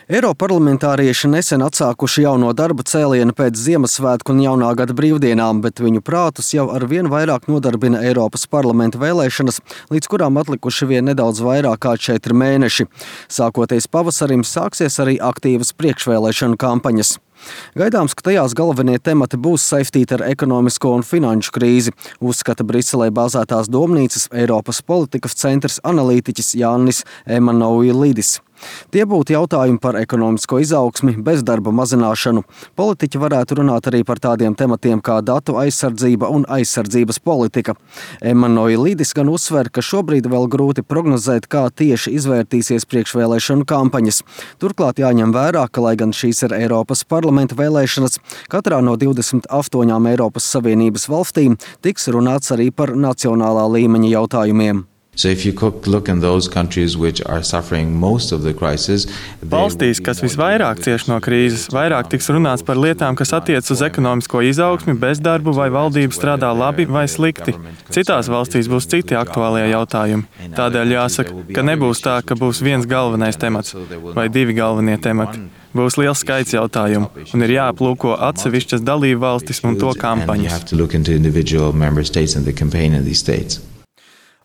Eiroparlamentārieši nesen atsākuši jauno darba cēlienu pēc Ziemassvētku un jaunā gada brīvdienām, bet viņu prātus jau ar vien vairāk nodarbina Eiropas parlamenta vēlēšanas, līdz kurām atlikuši vien nedaudz vairāk kā 4 mēneši. Sākoties pavasarim, sāksies arī aktīvas priekšvēlēšanu kampaņas. Gaidāms, ka tajās galvenie temati būs saistīti ar ekonomisko un finanšu krīzi, uzskata Briselē bāzētās domnīcas Eiropas politikas centrs analītiķis Jānis Emanuilidis. Tie būtu jautājumi par ekonomisko izaugsmi, bezdarba mazināšanu. Politiķi varētu runāt arī par tādiem tematiem kā datu aizsardzība un aizsardzības politika. Emanuilidis gan uzsver, ka šobrīd vēl grūti prognozēt, kā tieši izvērtīsies priekšvēlēšanu kampaņas. Turklāt jāņem vērā, ka, lai gan šīs ir Eiropas parlamenta vēlēšanas, katrā no 28 Eiropas Savienības valstīm tiks runāts arī par nacionālā līmeņa jautājumiem. Valstīs, kas visvairāk cieš no krīzes, vairāk tiks runāts par lietām, kas attiec uz ekonomisko izaugsmi, bezdarbu vai valdība strādā labi vai slikti. Citās valstīs būs citi aktuālie jautājumi. Tādēļ jāsaka, ka nebūs tā, ka būs viens galvenais temats vai 2 galvenie temati. Būs liels skaits jautājumu un ir jāaplūko atsevišķas dalību valstis un to kampaņas.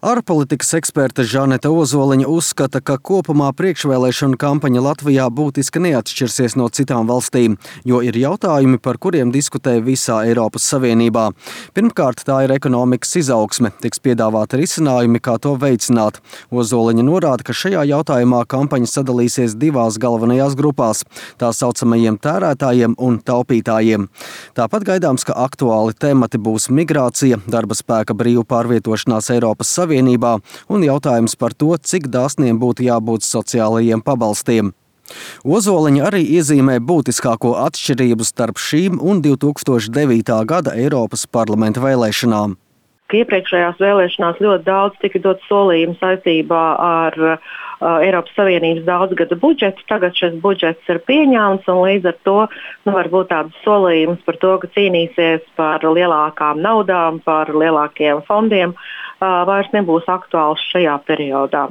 Ārpolitikas eksperte Žaneta Ozoliņa uzskata, ka kopumā priekšvēlēšanu kampaņa Latvijā būtiski neatšķirsies no citām valstīm, jo ir jautājumi, par kuriem diskutē visā Eiropas Savienībā. Pirmkārt, tā ir ekonomikas izaugsme, tiks piedāvāti risinājumi, kā to veicināt. Ozoliņa norāda, ka šajā jautājumā kampaņa sadalīsies 2 galvenajās grupās – tā saucamajiem tērētājiem un taupītājiem. Tāpat gaidāms, ka aktuāli temati būs migrācija, darba spēka brīvu pārvietošanās Eiropas Savienībā un jautājums par to, cik dāsniem būtu jābūt sociālajiem pabalstiem. Ozoliņa arī iezīmē būtiskāko atšķirību starp šīm un 2009. gada Eiropas parlamenta vēlēšanām. Iepriekšējās vēlēšanās ļoti daudz tika dot solījumu saistībā ar Eiropas Savienības daudzgada budžetu. Tagad šis budžets ir pieņemts un līdz ar to var būt tāds solījums par to, ka cīnīsies par lielākām naudām, par lielākiem fondiem. Vairs nebūs aktuāls šajā periodā.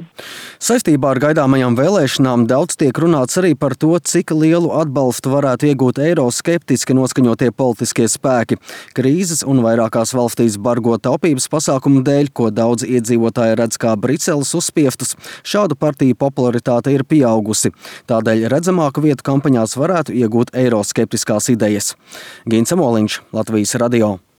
Saistībā ar gaidāmajām vēlēšanām daudz tiek runāts arī par to, cik lielu atbalstu varētu iegūt eiroskeptiski noskaņotie politiskie spēki. Krīzes un vairākās valstīs bargo taupības pasākumu dēļ, ko daudz iedzīvotāji redz kā Briseles uzspiestus, šādu partiju popularitāte ir pieaugusi. Tādēļ redzamāku vietu kampaņās varētu iegūt eiroskeptiskās idejas. Gins Amoliņš, Latvijas radio.